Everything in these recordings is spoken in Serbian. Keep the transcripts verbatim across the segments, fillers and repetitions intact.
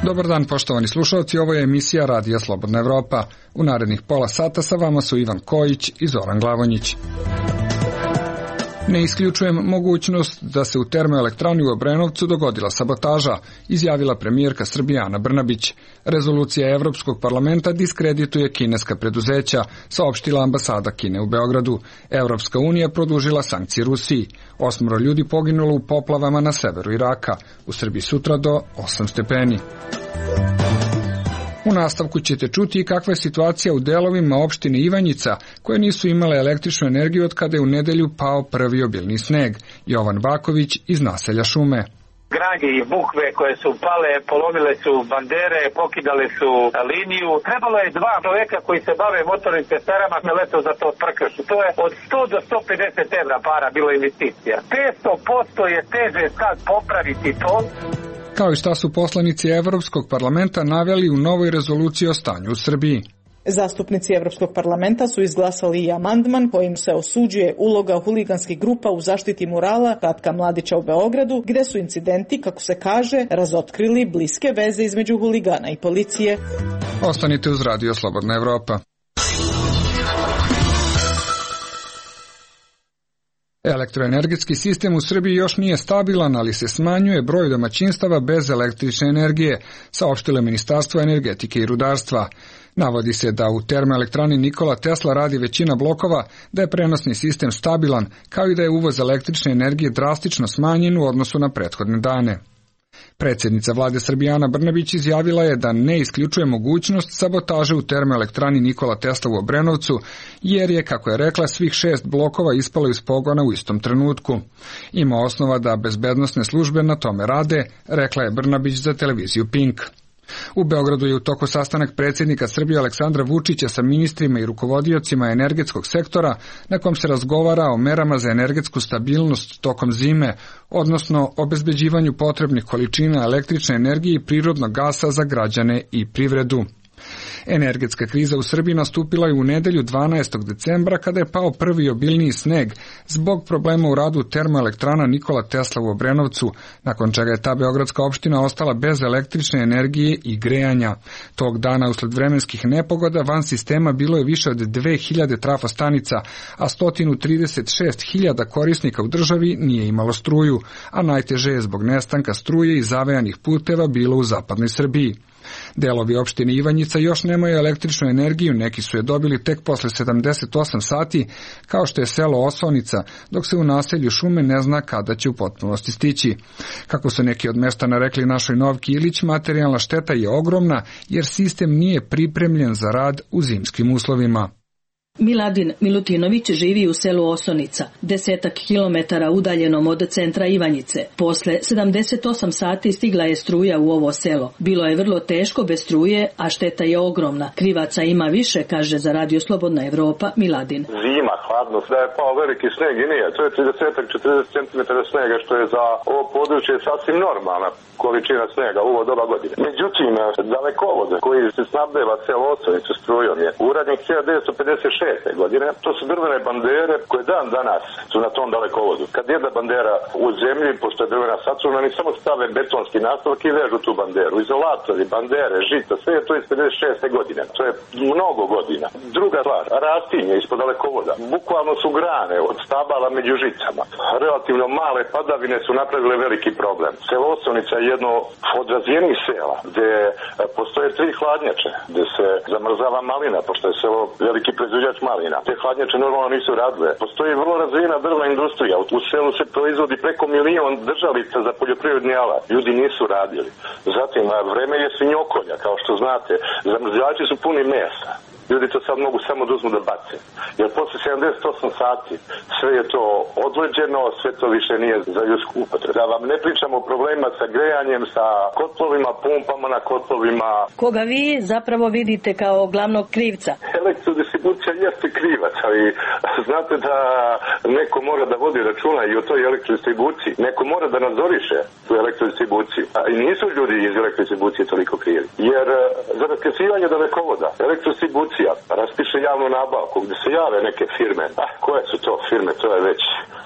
Dobar dan, poštovani slušalci, ovo je emisija Radija Slobodna Evropa. U narednih pola sata sa vama su Ivan Kojić i Zoran Glavonjić. Ne isključujem mogućnost da se u termoelektrani u Obrenovcu dogodila sabotaža, izjavila premijerka Srbije Ana Brnabić. Rezolucija Evropskog parlamenta diskredituje kineska preduzeća, saopštila ambasada Kine u Beogradu. Evropska unija produžila sankcije Rusiji. Osmoro ljudi poginulo u poplavama na severu Iraka. U Srbiji sutra do osam stepeni. U nastavku ćete čuti i kakva je situacija u delovima opštine Ivanjica, koje nisu imale električnu energiju od kada je u nedelju pao prvi obilni sneg. Jovan Vaković iz naselja Šume. Granje i bukve koje su pale, polomile su bandere, pokidale su liniju. Trebalo je dva čoveka koji se bave motornim testarama, me leto za to prkršu. To je od sto do sto pedeset evra para bilo investicija. petsto posto je teže sad popraviti to. Kao i šta su poslanici Evropskog parlamenta naveli u novoj rezoluciji o stanju u Srbiji. Zastupnici Evropskog parlamenta su izglasali i amandman kojim se osuđuje uloga huliganskih grupa u zaštiti murala Ratka Mladića u Beogradu, gde su incidenti, kako se kaže, razotkrili bliske veze između huligana i policije. Ostanite uz Radio Slobodna Evropa. Elektroenergetski sistem u Srbiji još nije stabilan, ali se smanjuje broj domaćinstava bez električne energije, saopštilo Ministarstvo energetike i rudarstva. Navodi se da u termoelektrani Nikola Tesla radi većina blokova, da je prenosni sistem stabilan, kao i da je uvoz električne energije drastično smanjen u odnosu na prethodne dane. Predsjednica vlade Srbije Ana Brnabić izjavila je da ne isključuje mogućnost sabotaže u termoelektrani Nikola Tesla u Obrenovcu, jer je, kako je rekla, svih šest blokova ispalo iz pogona u istom trenutku. Ima osnova da bezbednosne službe na tome rade, rekla je Brnabić za televiziju Pink. U Beogradu je u toku sastanak predsjednika Srbije Aleksandra Vučića sa ministrima i rukovodiocima energetskog sektora, na kom se razgovara o merama za energetsku stabilnost tokom zime, odnosno obezbeđivanju potrebnih količina električne energije i prirodnog gasa za građane i privredu. Energetska kriza u Srbiji nastupila je u nedelju dvanaestog decembra kada je pao prvi obilniji sneg zbog problema u radu termoelektrana Nikola Tesla u Obrenovcu, nakon čega je ta beogradska opština ostala bez električne energije i grejanja. Tog dana usled vremenskih nepogoda van sistema bilo je više od dve hiljade trafostanica, a sto trideset šest hiljada korisnika u državi nije imalo struju, a najteže je zbog nestanka struje i zavejanih puteva bilo u zapadnoj Srbiji. Delovi opštine Ivanjica još nemaju električnu energiju, neki su je dobili tek posle sedamdeset osam sati, kao što je selo Osonica, dok se u naselju Šume ne zna kada će u potpunosti stići. Kako su neki od meštana rekli našoj Novki Ilić, materijalna šteta je ogromna, jer sistem nije pripremljen za rad u zimskim uslovima. Miladin Milutinović živi u selu Osonica, desetak kilometara udaljenom od centra Ivanjice. Posle sedamdeset osam sati stigla je struja u ovo selo. Bilo je vrlo teško bez struje, a šteta je ogromna. Krivaca ima više, kaže za Radio Slobodna Evropa Miladin. Zima, hladno, da je pao veliki sneg i nije. To je trideset do četrdeset centimetara snega, što je za ovo područje sasvim normalna količina snega u ovo doba godine. Međutim, dalekovode koji se snabdeva selo Osonicu strujom je urađen hiljadu devetsto pedeset šeste godine. To su drvene bandere koje dan danas su na tom dalekovodu. Kad jedna bandera u zemlji, pošto je drvena sačuvana, oni samo stave betonski nastavak i vežu tu banderu. Izolatori, bandere, žita, sve je to iz pedeset šeste godine. To je mnogo godina. Druga stvar, rastinje ispod dalekovoda. Bukvalno su grane od stabala među žicama. Relativno male padavine su napravile veliki problem. Selo Osonica je jedno od razvijenih sela gde postoje tri hladnjače, gde se zamrzava malina, pošto je selo veliki proizvođač malina. Te hladnjače normalno nisu radile. Postoji vrlo razvijena drvna industrija. U selu se proizvodi preko milion držalica za poljoprivredni alat. Ljudi nisu radili. Zatim, vreme je svinjokolja, kao što znate. Zamrzivači su puni mesa. Ljudi to sad mogu samo da uzmu da bace. Jer posle sedamdeset osam sati sve je to odleđeno, sve to više nije za ljudsku upotrebu. Da vam ne pričamo o problemima sa grejanjem, sa kotlovima, pumpama na kotlovima. Koga vi zapravo vidite kao glavnog krivca? Elektrodistribucija jeste krivac, ali znate da neko mora da vodi računa i o toj elektrodistribuciji. Neko mora da nadzoriše tu elektrodistribuciju. A i nisu ljudi iz elektrodistribucije toliko krivi. Jer za raskrivanje dalekovoda, elektrodistribucija raspiše javnu nabavku gdje se jave neke firme. A koje su to firme? To je već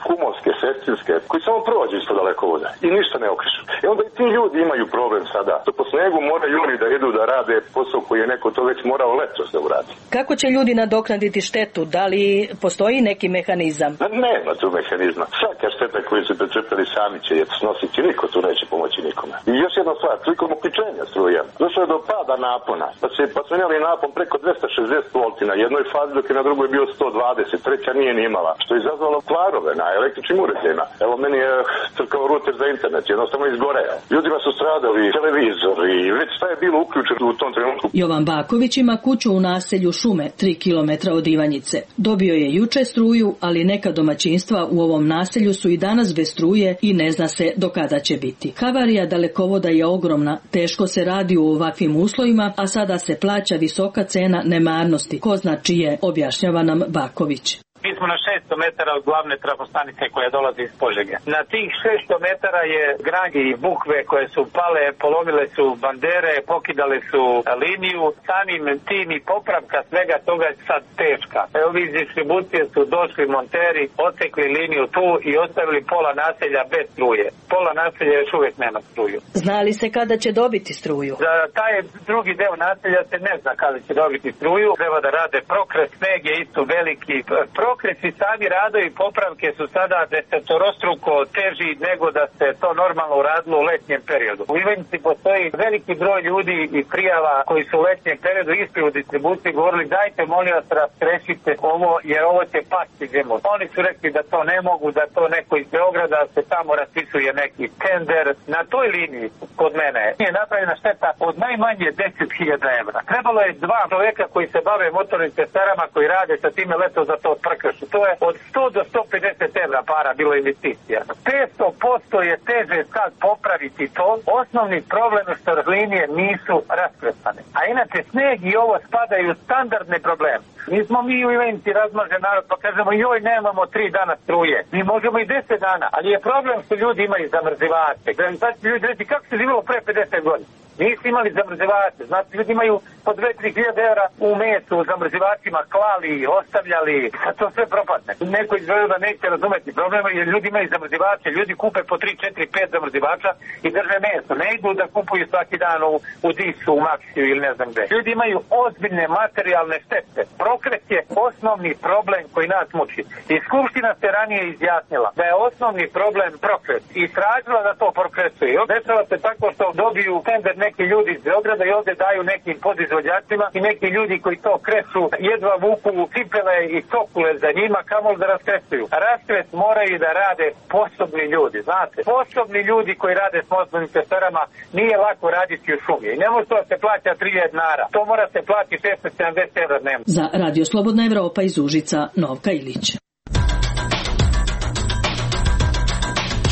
kumovske, sestrinske, koji samo prođu ispod dalekovoda i ništa ne okreću. I onda i ti ljudi imaju problem sada. To po snegu moraju oni da idu da rade posao koji je neko to već morao letos da uradi. Kako će ljudi nadoknaditi štetu? Da li postoji neki mehanizam? Da, nema tu mehanizma. Svaka šteta koju su pretrpeli sami će je snositi, niko tu neće pomoći nikome. I još jedna stvar, prilikom uključenja struje, došlo je do pada napona, pa se pa su imali napon preko dvesta šezdeset volti na jednoj fazi, dok je na drugoj bio sto dvadeset, treća nije ni imala, što je izazvalo kvarove na električnim uređajima. Evo, meni je crkao ruter za internet, jednostavno izgoreo. Ljudima su stradali televizor i već šta je bilo uključeno u tom trenutku. Jovan Baković ima kuću u naselju Šume, tri kilometra od Ivanjice. Dobio je juče struju, ali neka domaćinstva u ovom naselju su i danas bez struje i ne zna se do kada će biti. Havarija dalekovoda je ogromna, teško se radi u ovakvim uslovima, a sada se plaća visoka cena nemarnosti. Ko zna čije, objašnjava nam Baković. Mi smo na šesto metara od glavne trafostanice koja dolazi iz Požege. Na tih šesto metara je granje i bukve koje su pale, polomile su bandere, pokidale su liniju. Samim tim i popravka svega toga je sad teška. Evo iz distribucije su došli monteri, odsekli liniju tu i ostavili pola naselja bez struje. Pola naselja još uvijek nema struju. Zna li se kada će dobiti struju? Za taj drugi deo naselja se ne zna kada će dobiti struju. Treba da rade prokret, sneg je isto veliki. Prokreti sami radovi popravke su sada desetorostruko teži nego da se to normalno uradilo u letnjem periodu. U Ivanjici postoji veliki broj ljudi i prijava koji su u letnjem periodu ispred u distribuciji govorili dajte molim vas raskrešite ovo jer ovo će pasti zemlju. Oni su rekli da to ne mogu, da to neko iz Beograda se tamo raspisuje neki tender. Na toj liniji kod mene je napravljena šteta od najmanje deset hiljada evra. Trebalo je dva čoveka koji se bave motornim testarama koji rade sa time leto za to prkršu. To je od sto do sto pedeset evra para bilo investicija. petsto posto je teže sad popraviti to. Osnovni problem je što linije nisu raskresane. A inače sneg i ovo spadaju u standardne probleme. Nismo mi u Ivanjici razmažen narod pa kažemo joj nemamo tri dana struje. Mi možemo i deset dana, ali je problem što ljudi imaju zamrzivače. Sad ljudi reći kako se živjelo pre pedeset godina. Nisu imali zamrzivače. Znači, ljudi imaju po dve do tri hiljade evra u mesu u zamrzivačima, klali, ostavljali, sad to sve propadne. Neko iz Beograda neće razumeti problema jer ljudi imaju zamrzivače, ljudi kupe po tri, četiri, pet zamrzivača i drže meso. Ne idu da kupuju svaki dan u, u Disu, u Maksiju ili ne znam gde. Ljudi imaju ozbiljne materijalne štete. Prokret je osnovni problem koji nas muči. I Skupština se ranije izjasnila da je osnovni problem prokret i tražila da to prokretuje. Dešava se tako što dobiju tender neki ljudi iz Beograda i ovdje daju nekim podizvođačima i neki ljudi koji to kresu jedva vuku cipele i sokule za njima kamo da raskresuju. Raskres moraju da rade sposobni ljudi, znate. Sposobni ljudi koji rade s motornim testarama nije lako raditi u šumi. I ne može to da se plaća tri dinara. To mora se plati šesnaest sedamdeset evra dnevno. Za Radio Slobodna Evropa iz Užica, Novka Ilić.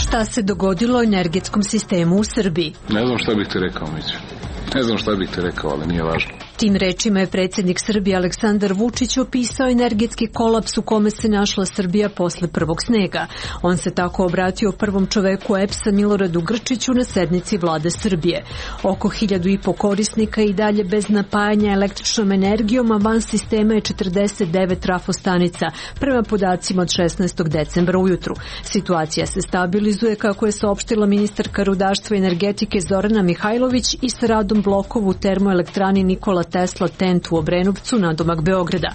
Šta se dogodilo energetskom sistemu u Srbiji? Ne znam šta bih ti rekao, Miću. Ne znam šta bih ti rekao, ali nije važno. Tim rečima je predsjednik Srbije Aleksandar Vučić opisao energetski kolaps u kome se našla Srbija posle prvog snega. On se tako obratio prvom čoveku E P S-a Miloradu Grčiću na sednici vlade Srbije. Oko hiljadu i po korisnika i dalje bez napajanja električnom energijom, a van sistema je četrdeset devet trafostanica, prema podacima od šesnaestog decembra ujutru. Situacija se stabilizuje, kako je saopštila ministarka rudarstva i energetike Zorana Mihajlović, i sa radom blokova u termoelektrani Nikola Tesla Tent u Obrenovcu, nadomak Beograda.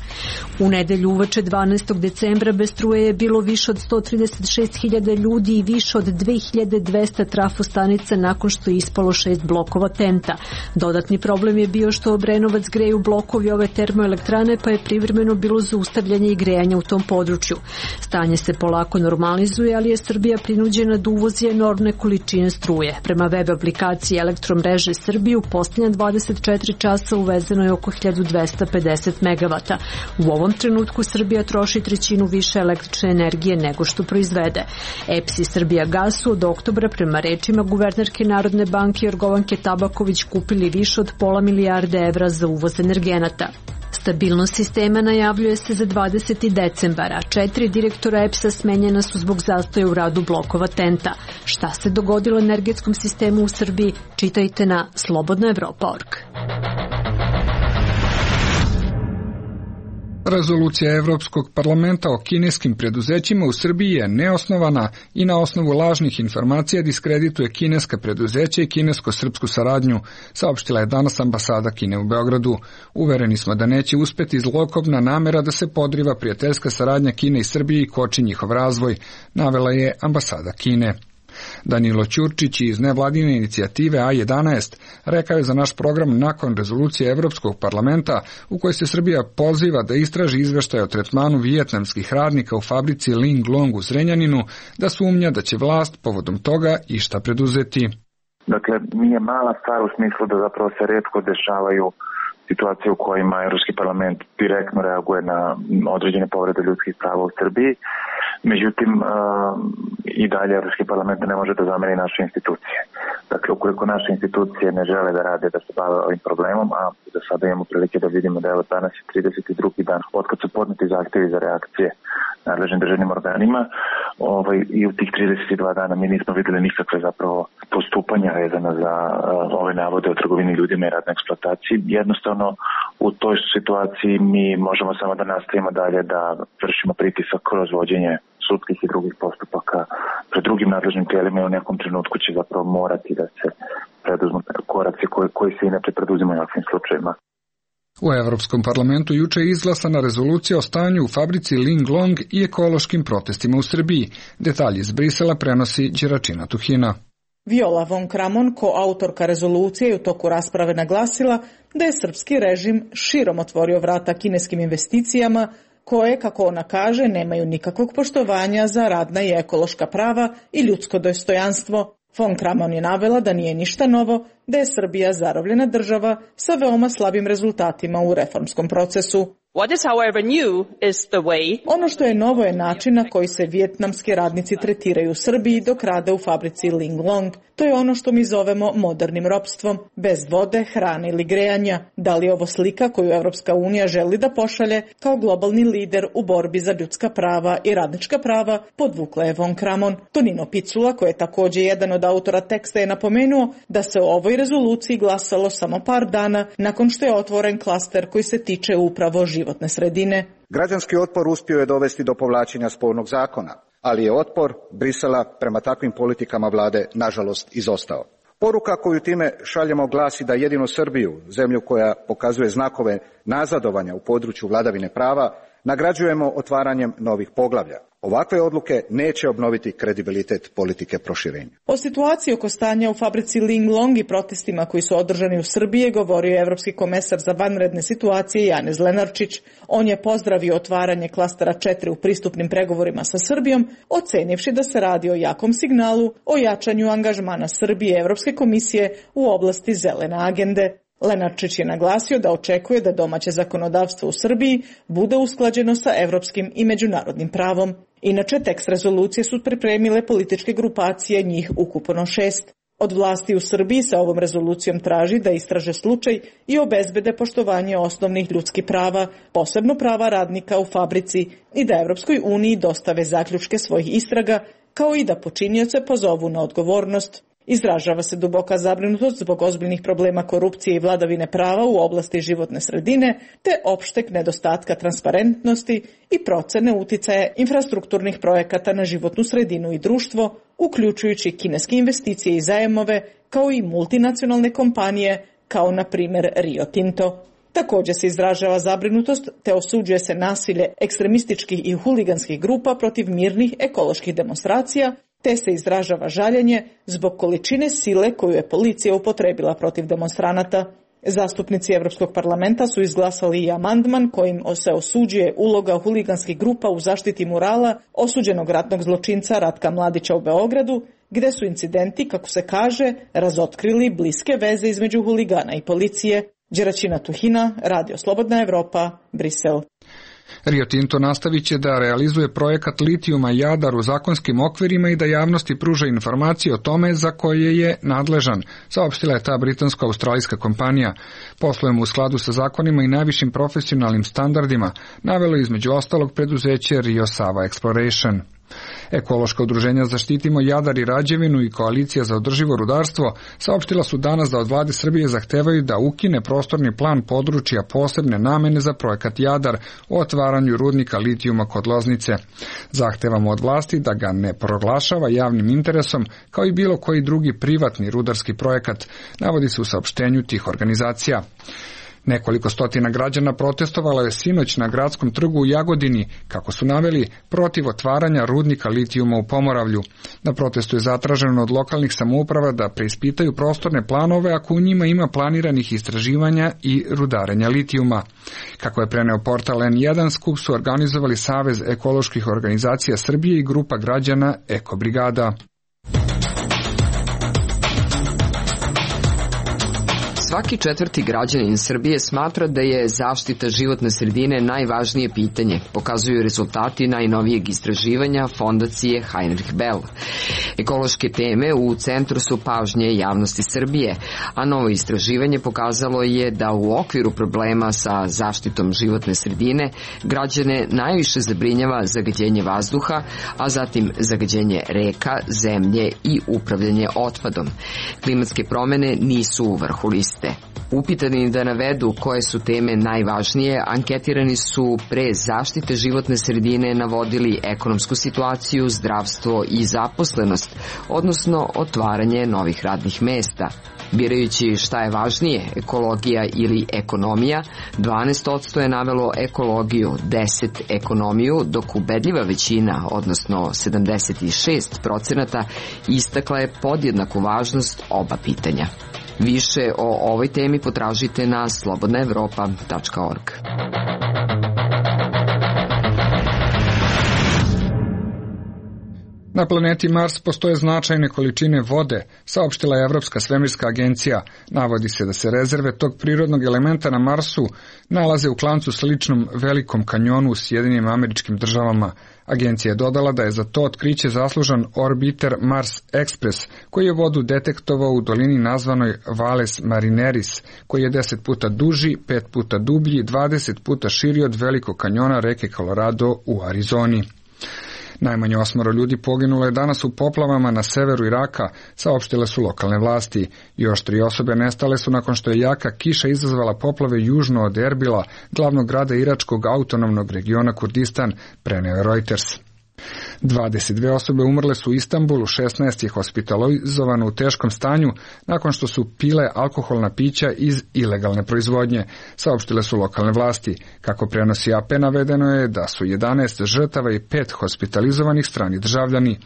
U nedelju uveče dvanaestog decembra bez struje je bilo više od sto trideset šest hiljada ljudi i više od dve hiljade dvesta trafostanica nakon što je ispalo šest blokova Tenta. Dodatni problem je bio što Obrenovac greju blokovi ove termoelektrane, pa je privremeno bilo zaustavljanje i grejanja u tom području. Stanje se polako normalizuje, ali je Srbija prinuđena da uvozi enormne količine struje. Prema web aplikaciji Elektromreže Srbije u posljednja dvadeset četiri časa uvezeno je oko hiljadu dvesta pedeset megavata. U ovom trenutku Srbija troši trećinu više električne energije nego što proizvede. E P S i Srbija Gas su od oktobra, prema rečima guvernerke Narodne banke Jorgovanke Tabaković, kupili više od pola milijarde evra za uvoz energenata. Stabilnost sistema najavljuje se za dvadeseti decembar, a četiri direktora E P S-a smenjena su zbog zastoja u radu blokova TENT-a. Šta se dogodilo energetskom sistemu u Srbiji, čitajte na slobodna evropa tačka org. Rezolucija Evropskog parlamenta o kineskim preduzećima u Srbiji je neosnovana i na osnovu lažnih informacija diskredituje kineska preduzeća i kinesko-srpsku saradnju, saopštila je danas ambasada Kine u Beogradu. Uvereni smo da neće uspeti zlokobna namera da se podriva prijateljska saradnja Kine i Srbije i koči njihov razvoj, navela je ambasada Kine. Danilo Ćurčić iz nevladine inicijative A jedanaest rekao je za naš program nakon rezolucije Evropskog parlamenta u kojoj se Srbija poziva da istraži izveštaj o tretmanu vijetnamskih radnika u fabrici Ling Long u Zrenjaninu, da sumnja da će vlast povodom toga išta preduzeti. Dakle, nije mala stvar u smislu da zapravo se retko dešavaju situacije u kojima Evropski parlament direktno reaguje na određene povrede ljudskih prava u Srbiji. Međutim, i dalje Evropski parlament ne može da zameri naše institucije. Dakle, ukoliko naše institucije ne žele da rade, da se bave ovim problemom, a da sada imamo prilike da vidimo da je danas je trideset drugi dan otkad su podneti zahtevi za reakcije nadležnim državnim organima, ovaj, i u tih trideset dva dana mi nismo videli nikakve zapravo postupanja vezana za uh, ove navode o trgovini ljudima i radnoj eksploataciji. Jednostavno, u toj situaciji mi možemo samo da nastavimo dalje da vršimo pritisak kroz vođenje sudskih i drugih postupaka pred drugim nadležnim tijelima i u nekom trenutku će zapravo morati da se preduzmu koraci koji, koji se inače preduzimaju u ovakvim slučajima. U Evropskom parlamentu juče je izglasana rezolucija o stanju u fabrici Ling Long i ekološkim protestima u Srbiji. Detalji iz Brisela prenosi Đeračina Tuhina. Viola von Kramon, koautorka rezolucije, je u toku rasprave naglasila da je srpski režim širom otvorio vrata kineskim investicijama koje, kako ona kaže, nemaju nikakvog poštovanja za radna i ekološka prava i ljudsko dostojanstvo. Von Kramon je navela da nije ništa novo, da je Srbija zarobljena država sa veoma slabim rezultatima u reformskom procesu. What is, however, new is the way. Ono što je novo je način na koji se vijetnamski radnici tretiraju u Srbiji dok rade u fabrici Ling Long. To je ono što mi zovemo modernim ropstvom, bez vode, hrane ili grejanja. Da li je ovo slika koju Evropska unija želi da pošalje kao globalni lider u borbi za ljudska prava i radnička prava, podvukla je von Kramon. Tonino Picula, koji je također jedan od autora teksta, je napomenuo da se o ovoj rezoluciji glasalo samo par dana nakon što je otvoren klaster koji se tiče upravo životne sredine. Građanski otpor uspio je dovesti do povlačenja spornog zakona, ali je otpor Brisela prema takvim politikama vlade nažalost izostao. Poruka koju time šaljemo glasi da jedino Srbiju, zemlju koja pokazuje znakove nazadovanja u području vladavine prava, nagrađujemo otvaranjem novih poglavlja. Ovakve odluke neće obnoviti kredibilitet politike proširenja. O situaciji oko stanja u fabrici Ling Long i protestima koji su održani u Srbiji govorio je Evropski komesar za vanredne situacije Janez Lenarčić. On je pozdravio otvaranje klastera četiri u pristupnim pregovorima sa Srbijom, ocenivši da se radi o jakom signalu o jačanju angažmana Srbije i Evropske komisije u oblasti zelene agende. Lenarčić je naglasio da očekuje da domaće zakonodavstvo u Srbiji bude usklađeno sa evropskim i međunarodnim pravom. Inače, tekst rezolucije su pripremile političke grupacije, njih ukupno šest. Od vlasti u Srbiji se ovom rezolucijom traži da istraže slučaj i obezbede poštovanje osnovnih ljudskih prava, posebno prava radnika u fabrici, i da Evropskoj uniji dostave zaključke svojih istraga, kao i da počinioce pozovu na odgovornost. Izražava se duboka zabrinutost zbog ozbiljnih problema korupcije i vladavine prava u oblasti životne sredine, te opšteg nedostatka transparentnosti i procene uticaja infrastrukturnih projekata na životnu sredinu i društvo, uključujući kineske investicije i zajmove, kao i multinacionalne kompanije, kao na primjer Rio Tinto. Također se izražava zabrinutost te osuđuje se nasilje ekstremističkih i huliganskih grupa protiv mirnih ekoloških demonstracija, te se izražava žaljenje zbog količine sile koju je policija upotrebila protiv demonstranata. Zastupnici Evropskog parlamenta su izglasali i amandman kojim se osuđuje uloga huliganskih grupa u zaštiti murala osuđenog ratnog zločinca Ratka Mladića u Beogradu, gde su incidenti, kako se kaže, razotkrili bliske veze između huligana i policije. Đeračina Tuhina, Radio Slobodna Evropa, Brisel. Rio Tinto nastavit će da realizuje projekat litijuma Jadar u zakonskim okvirima i da javnosti pruža informacije o tome za koje je nadležan, saopštila je ta britansko-australijska kompanija. Poslujemo u skladu sa zakonima i najvišim profesionalnim standardima, navelo između ostalog preduzeće Rio Sava Exploration. Ekološka udruženja Zaštitimo Jadar i Rađevinu i Koalicija za održivo rudarstvo saopštila su danas da od vlade Srbije zahtevaju da ukine prostorni plan područja posebne namene za projekat Jadar o otvaranju rudnika litijuma kod Loznice. Zahtevamo od vlasti da ga ne proglašava javnim interesom kao i bilo koji drugi privatni rudarski projekat, navodi se u saopštenju tih organizacija. Nekoliko stotina građana protestovalo je sinoć na gradskom trgu u Jagodini, kako su naveli, protiv otvaranja rudnika litijuma u Pomoravlju. Na protestu je zatraženo od lokalnih samouprava da preispitaju prostorne planove ako u njima ima planiranih istraživanja i rudarenja litijuma. Kako je preneo portal en jedan, skup su organizovali Savez ekoloških organizacija Srbije i grupa građana Ekobrigada. Svaki četvrti građanin Srbije smatra da je zaštita životne sredine najvažnije pitanje, pokazuju rezultati najnovijeg istraživanja fondacije Heinrich Bell. Ekološke teme u centru su pažnje javnosti Srbije, a novo istraživanje pokazalo je da u okviru problema sa zaštitom životne sredine građane najviše zabrinjava zagađenje vazduha, a zatim zagađenje reka, zemlje i upravljanje otpadom. Klimatske promene nisu u vrhu liste. Upitani da navedu koje su teme najvažnije, anketirani su pre zaštite životne sredine navodili ekonomsku situaciju, zdravstvo i zaposlenost, odnosno otvaranje novih radnih mesta. Birajući šta je važnije, ekologija ili ekonomija, dvanaest posto je navelo ekologiju, deset posto ekonomiju, dok ubedljiva većina, odnosno sedamdeset šest procenata, istakla je podjednaku važnost oba pitanja. Više o ovoj temi potražite na slobodna evropa tačka org. Na planeti Mars postoje značajne količine vode, saopštila je Evropska svemirska agencija. Navodi se da se rezerve tog prirodnog elementa na Marsu nalaze u klancu sličnom Velikom kanjonu u Sjedinjenim Američkim Državama. Agencija je dodala da je za to otkriće zaslužan orbiter Mars Express, koji je vodu detektovao u dolini nazvanoj Valles Marineris, koji je deset puta duži, pet puta dublji, dvadeset puta širi od Velikog kanjona reke Colorado u Arizoni. Najmanje osmoro ljudi poginulo je danas u poplavama na severu Iraka, saopštile su lokalne vlasti. Još tri osobe nestale su nakon što je jaka kiša izazvala poplave južno od Erbila, glavnog grada iračkog autonomnog regiona Kurdistan, preneo je Reuters. dvadeset dve osobe umrle su u Istanbulu, šesnaest je hospitalizovano u teškom stanju nakon što su pile alkoholna pića iz ilegalne proizvodnje, saopštile su lokalne vlasti. Kako prenosi A P, navedeno je da su jedanaest žrtava i pet hospitalizovanih strani državljani.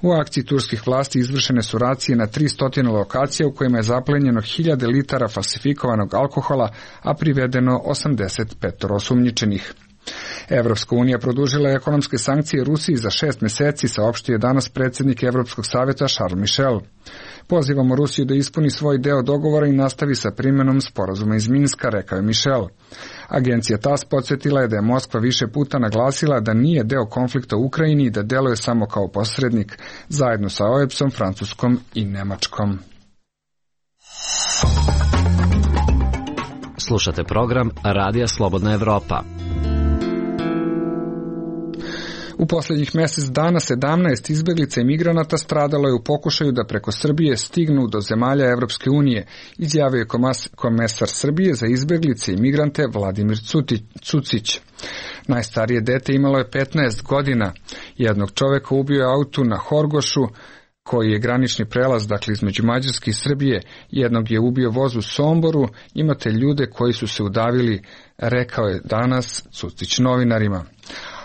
U akciji turskih vlasti izvršene su racije na tristo lokacija u kojima je zaplenjeno hiljade litara falsifikovanog alkohola, a privedeno osamdeset pet osumnjičenih. Evropska unija produžila je ekonomske sankcije Rusiji za šest meseci, saopštio je danas predsjednik Evropskog savjeta Charles Michel. Pozivamo Rusiju da ispuni svoj deo dogovora i nastavi sa primjenom sporazuma iz Minska, rekao je Michel. Agencija T A S podsjetila je da je Moskva više puta naglasila da nije deo konflikta u Ukrajini i da deluje samo kao posrednik, zajedno sa O E B S-om, Francuskom i Nemačkom. Slušate program Radija Slobodna Evropa. U posljednjih mjesec dana sedamnaest izbjeglica i migranata stradalo je u pokušaju da preko Srbije stignu do zemalja Evropske unije, izjavio je komesar Srbije za izbjeglice i migrante Vladimir Cucić. Najstarije dete imalo je petnaest godina. Jednog čovjeka ubio je auto na Horgošu, koji je granični prelaz, dakle između Mađarske i Srbije. Jednog je ubio voz u Somboru. Imate ljude koji su se udavili, rekao je danas Cucić novinarima.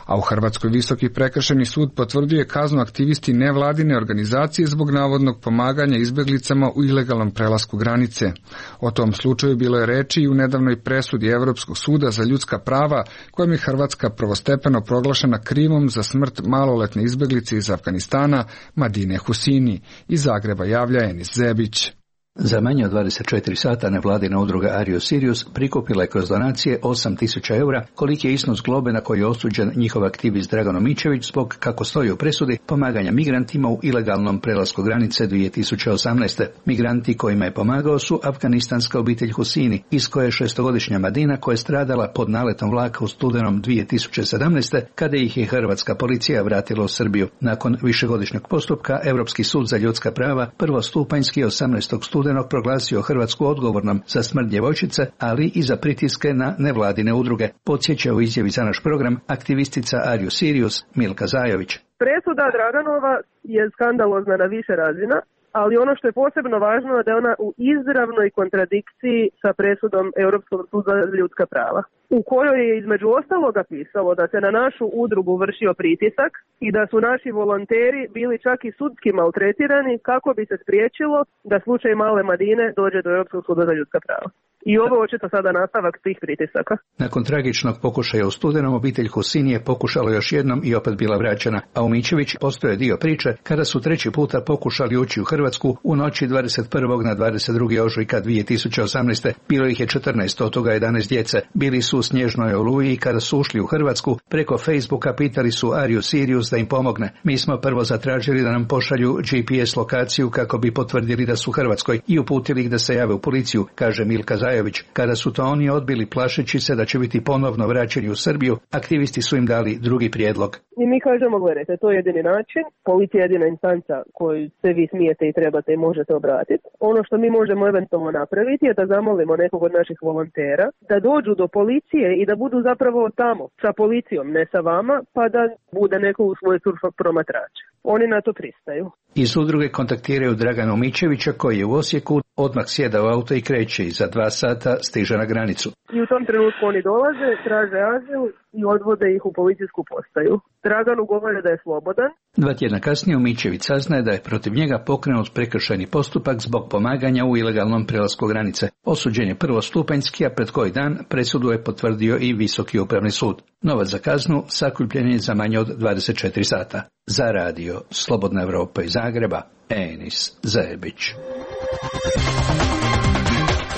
A u Hrvatskoj Visoki prekršajni sud potvrdio je kaznu aktivisti nevladine organizacije zbog navodnog pomaganja izbjeglicama u ilegalnom prelasku granice. O tom slučaju bilo je reči i u nedavnoj presudi Europskog suda za ljudska prava, kojom je Hrvatska prvostepeno proglašena krivom za smrt maloletne izbjeglice iz Afganistana Madine Husini. Iz Zagreba javlja Enis Zebić. Za manje od dvadeset četiri sata nevladina udruga Ario Sirius prikupila je kroz donacije osam tisuća eura, koliki je iznos globe na koji je osuđen njihov aktivist Dragan Omićević zbog, kako stoji u presudi, pomaganja migrantima u ilegalnom prelasku granice dvije tisuće osamnaeste. Migranti kojima je pomagao su afganistanska obitelj Husini, iz koje je šestogodišnja Madina koja je stradala pod naletom vlaka u studenom dvije tisuće sedamnaeste. kada ih je hrvatska policija vratila u Srbiju. Nakon višegodišnjeg postupka, Europski sud za ljudska prava prvostupanjski osamnaestog studenog proglasio Hrvatsku odgovornom za smrt djevojčice, ali i za pritiske na nevladine udruge. Podsjeća u izjavi za naš program aktivistica Ario Sirius Milka Zajović. Presuda Draganova je skandalozna na više razina, ali ono što je posebno važno je da je ona u izravnoj kontradikciji sa presudom Europskog suda za ljudska prava, u kojoj je između ostaloga pisalo da se na našu udrugu vršio pritisak i da su naši volonteri bili čak i sudski maltretirani kako bi se spriječilo da slučaj male Madine dođe do Europskog suda za ljudska prava. I ovo je očito sada nastavak tih pritisaka. Nakon tragičnog pokušaja u studenom, obitelj Husini je pokušala još jednom i opet bila vraćena, a Omićević postoje dio priče kada su treći puta pokušali ući u Hrvatsku u noći dvadeset prvog na dvadeset drugi ožujka dvije tisuće osamnaeste. Bilo ih je četrnaest, od toga jedanaest djece. Bili su u snježnoj oluji i kada su ušli u Hrvatsku, preko Facebooka pitali su Ario Sirius da im pomogne. Mi smo prvo zatražili da nam pošalju G P S lokaciju kako bi potvrdili da su u Hrvatskoj i uputili ih da se jave u policiju, kaže Milka Zajović. Kada su to oni odbili plašeći se da će biti ponovno vraćeni u Srbiju, aktivisti su im dali drugi prijedlog. I mi kažemo, gledajte, to je jedini način, policija je jedina instanca koju se vi smijete i trebate i možete obratiti. Ono što mi možemo eventualno napraviti je da zamolimo nekog od naših volontera da dođu do policije i da budu zapravo tamo sa policijom, ne sa vama, pa da bude neko u svoj surfog promatrača. Oni na to pristaju. Iz udruge kontaktiraju Dragana Omićevića koji je u Osijeku, odmah sjeda u auto i kreće i za dva sata stiže na granicu. I u tom trenutku oni dolaze, traže azil i odvode ih u policijsku postaju. Draganu govore da je slobodan. Dva tjedna kasnije Omićević saznaje da je protiv njega pokrenut prekršajni postupak zbog pomaganja u ilegalnom prelasku granice. Osuđen je prvostupanjski, a pred koji dan presudu je potvrdio i Visoki upravni sud. Novac za kaznu sakupljen je za manje od dvadeset četiri sata. Za radio Slobodna Evropa iz Zagreba, Enis Zajebić.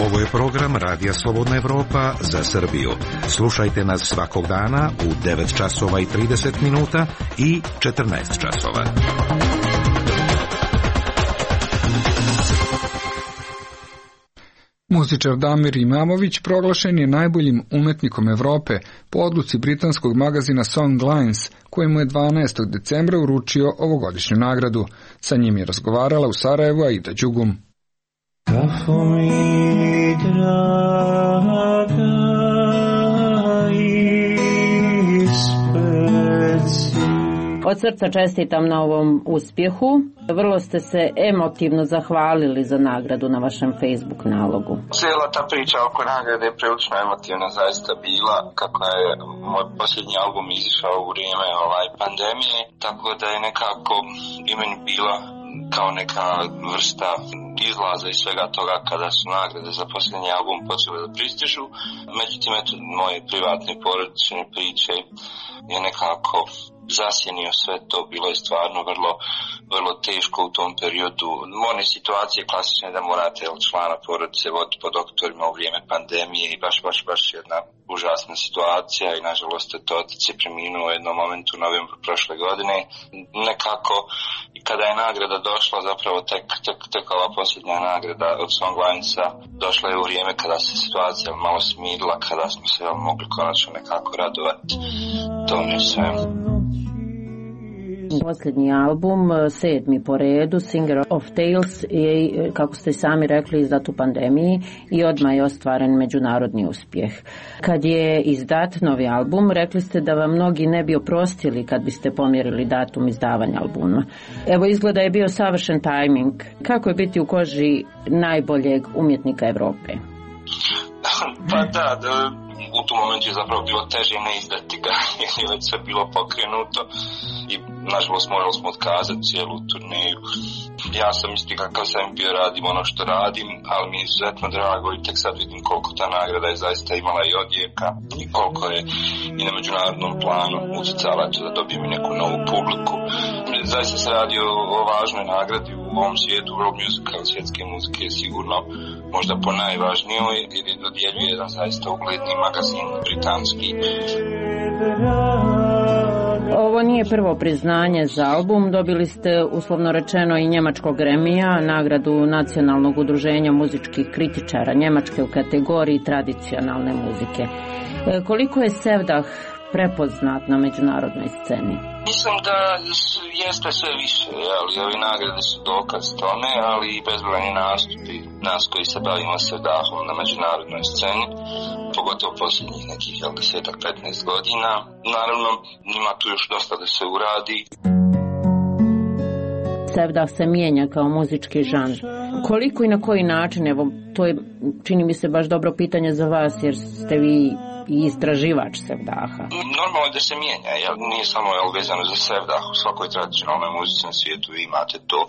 Ovo je program Radija Slobodna Evropa za Srbiju. Slušajte nas svakog dana u devet časova i trideset minuta i četrnaest časova. Muzičar Damir Imamović proglašen je najboljim umetnikom Evrope po odluci britanskog magazina Songlines, kojemu je dvanaestog decembra uručio ovogodišnju nagradu. Sa njim je razgovarala u Sarajevu Aida Đugum. Kako mi draga ispeci. Od srca čestitam na ovom uspjehu. Vrlo ste se emotivno zahvalili za nagradu na vašem Facebook nalogu. Cijela ta priča oko nagrade je prilično emotivna zaista bila, kako je moj posljednji album izišao u vrijeme ovaj pandemije, tako da je nekako i meni bila kao neka vrsta izlaza i svega toga kada su nagrade za posljednji album počele da pristižu. Međutim, eto, moje privatne porodične priče je nekako zasjenio sve to, bilo je stvarno vrlo, vrlo teško u tom periodu. One situacije klasične da morate člana porodice voditi po doktorima u vrijeme pandemije i baš, baš, baš jedna užasna situacija i nažalost je to otac je preminuo u jednom momentu u novembru prošle godine. Nekako i kada je nagrada došla, zapravo tek, tek, tek ova posljednja nagrada od Songlinesa došla je u vrijeme kada se situacija malo smirila, kada smo se mogli konačno nekako radovati tom i svemu. Posljednji album, sedmi po redu, Singer of Tales, je, kako ste sami rekli, izdat u pandemiji i odmah je ostvaren međunarodni uspjeh. Kad je izdat novi album, rekli ste da vam mnogi ne bi oprostili kad biste pomjerili datum izdavanja albuma. Evo, izgleda je bio savršen tajming. Kako je biti u koži najboljeg umjetnika Evrope? Pa da, da, u tom momentu je zapravo bilo teže ne izdati ga, jer je već sve bilo pokrenuto i nažalost morali smo otkazati cijelu turneju. Ja sam isti kakav sam bio, radim ono što radim, ali mi je izuzetno drago i tek sad vidim koliko ta nagrada je zaista imala i odjeka i koliko je i na međunarodnom planu utjecala da dobijem i neku novu publiku. Zaista se radi o, o važnoj nagradi u ovom svijetu, World Musical, svjetske muzike je sigurno možda po najvažnijoj, jer je dodjeljuje jedan zaista ugledni magazin britanski. Ovo nije prvo priznanje za album, dobili ste uslovno rečeno i njemačkog Grammy-a, nagradu Nacionalnog udruženja muzičkih kritičara Njemačke u kategoriji tradicionalne muzike. E, koliko je Sevdah prepoznat na međunarodnoj sceni? Mislim da jeste sve više, ali ove nagrade su dokaz tome, ali i bezbrojni nastupi nas koji se bavimo Sevdahom na međunarodnoj sceni, pogotovo posljednjih nekih deset do petnaest godina. Naravno, ima tu još dosta da se uradi. Sevdah se mijenja kao muzički žanr. Koliko i na koji način, evo, to je, čini mi se, baš dobro pitanje za vas, jer ste vi i istraživač Sevdaha. Normalno je da se mijenja, jer nije samo jel, vezano za Sevdah. U svakoj tradicionalnoj muzici na svijetu vi imate to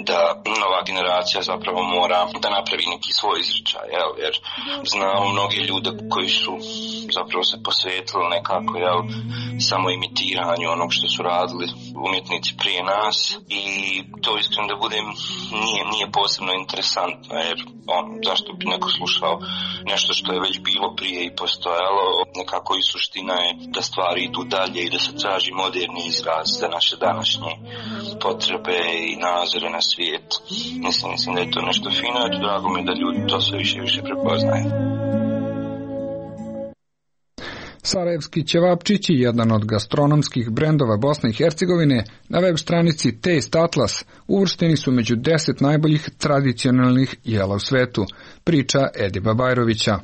da nova generacija zapravo mora da napravi neki svoj izričaj, jel, jer znamo mnogi ljude koji su zapravo se posvetili nekako jel, samo imitiranju onog što su radili umjetnici prije nas i to iskreno da budem nije, nije posebno interesantno, jer on, zašto bi neko slušao nešto što je već bilo prije i postojalo, nekako i suština je da stvari idu dalje i da se traži moderni izraz za naše današnje potrebe i nazore na svijet. Mislim, mislim da je to nešto fino i drago mi da ljudi to sve više i više prepoznaju. Sarajevski ćevapčići, jedan od gastronomskih brendova Bosne i Hercegovine, na web stranici Taste Atlas uvršteni su među deset najboljih tradicionalnih jela u svetu, priča Ediba Bajrovića.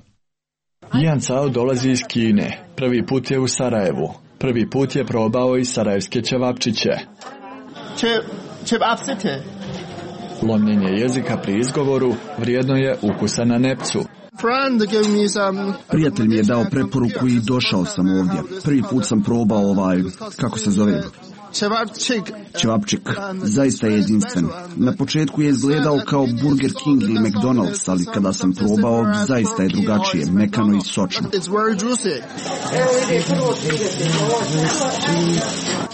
Ian Cao dolazi iz Kine. Prvi put je u Sarajevu. Prvi put je probao i sarajevske ćevapčiće. Ćevapčiće. Lomljenje jezika pri izgovoru vrijedno je ukusa na nepcu. Prijatelj mi je dao preporuku i došao sam ovdje. Prvi put sam probao ovaj, kako se zove? Ćevapčik. Zaista je jedinstven. Na početku je izgledao kao Burger King ili McDonald's, ali kada sam probao, zaista je drugačije, mekano i sočno.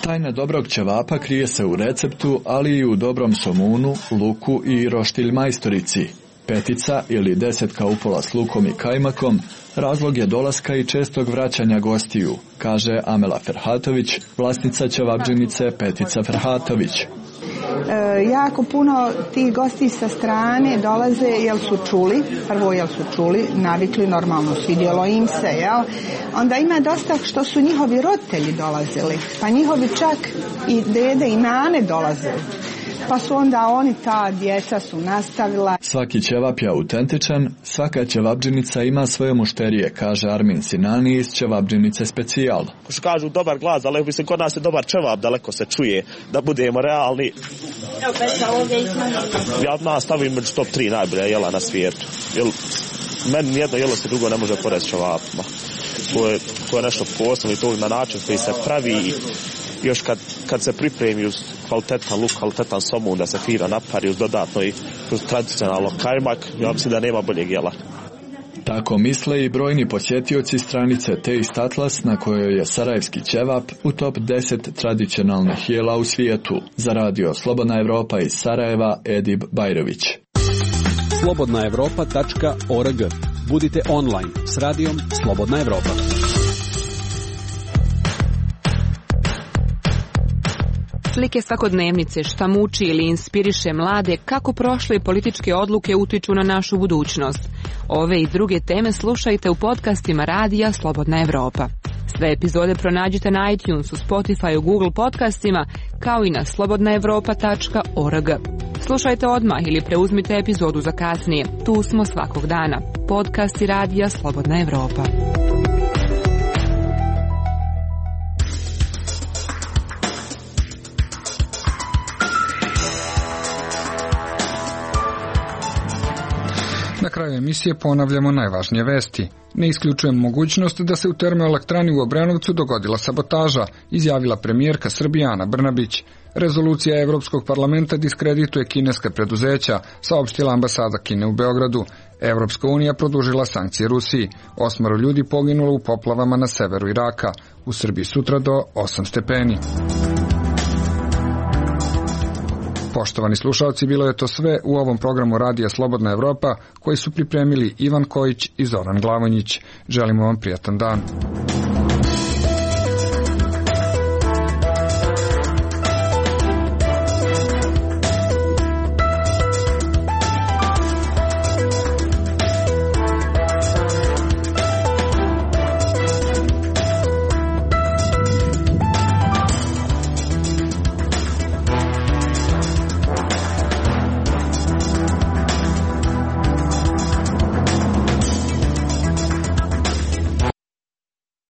Tajna dobrog ćevapa krije se u receptu, ali i u dobrom somunu, luku i roštilj majstorici. Petica ili desetka upola s lukom i kajmakom razlog je dolaska i čestog vraćanja gostiju, kaže Amela Ferhatović, vlasnica ćevapdžinice Petica Ferhatović. E, jako puno tih gosti sa strane dolaze jer su čuli, prvo jer su čuli, navikli, normalno svidjelo im se, jel? Onda ima dosta što su njihovi roditelji dolazili, pa njihovi čak i dede i mame dolazili. Pa su onda oni, ta djeca su nastavila. Svaki ćevap je autentičan, svaka ćevapdžinica ima svoje mušterije, kaže Armin Sinani iz ćevapdžinice Specijal. Ko što kažu dobar glas, ali mislim kod nas je dobar ćevap, daleko se čuje, da budemo realni. Ja od nas stavim među top tri najbolja jela na svijetu. Jel, meni nijedno jelo se drugo ne može poreći ćevapima. To je, to je nešto posebno i to na način koji se pravi. Još kad, kad se pripremi uz kvalitetan luk, kvalitetan somun, da se fira napari uz dodatno i uz tradicionalno kajmak, ja mislim da nema boljeg jela. Tako misle i brojni posjetioci stranice Taste Atlas, na kojoj je sarajevski ćevap u top deset tradicionalnih jela u svijetu. Za radio Slobodna Evropa iz Sarajeva, Edib Bajrović. slobodna evropa tačka org. Budite online s radijom Slobodna Evropa. Slike svakodnevnice, šta muči ili inspiriše mlade, kako prošle političke odluke utiču na našu budućnost. Ove i druge teme slušajte u podcastima radija Slobodna Evropa. Sve epizode pronađite na iTunesu, Spotify, Google podcastima, kao i na slobodna evropa tačka org. Slušajte odmah ili preuzmite epizodu za kasnije. Tu smo svakog dana. Podcasti radija Slobodna Evropa. Na kraju kraju emisije ponavljamo najvažnije vesti. Ne isključujem mogućnost da se u termoelektrani u Obrenovcu dogodila sabotaža, izjavila premijerka Srbije Ana Brnabić. Rezolucija Evropskog parlamenta diskredituje kineska preduzeća, saopštila ambasada Kine u Beogradu. Evropska unija produžila sankcije Rusiji. Osmoro ljudi poginulo u poplavama na severu Iraka. U Srbiji sutra do osam stepeni. Poštovani slušalci, bilo je to sve u ovom programu Radija Slobodna Evropa, koji su pripremili Ivan Kojić i Zoran Glavonjić. Želimo vam prijatan dan.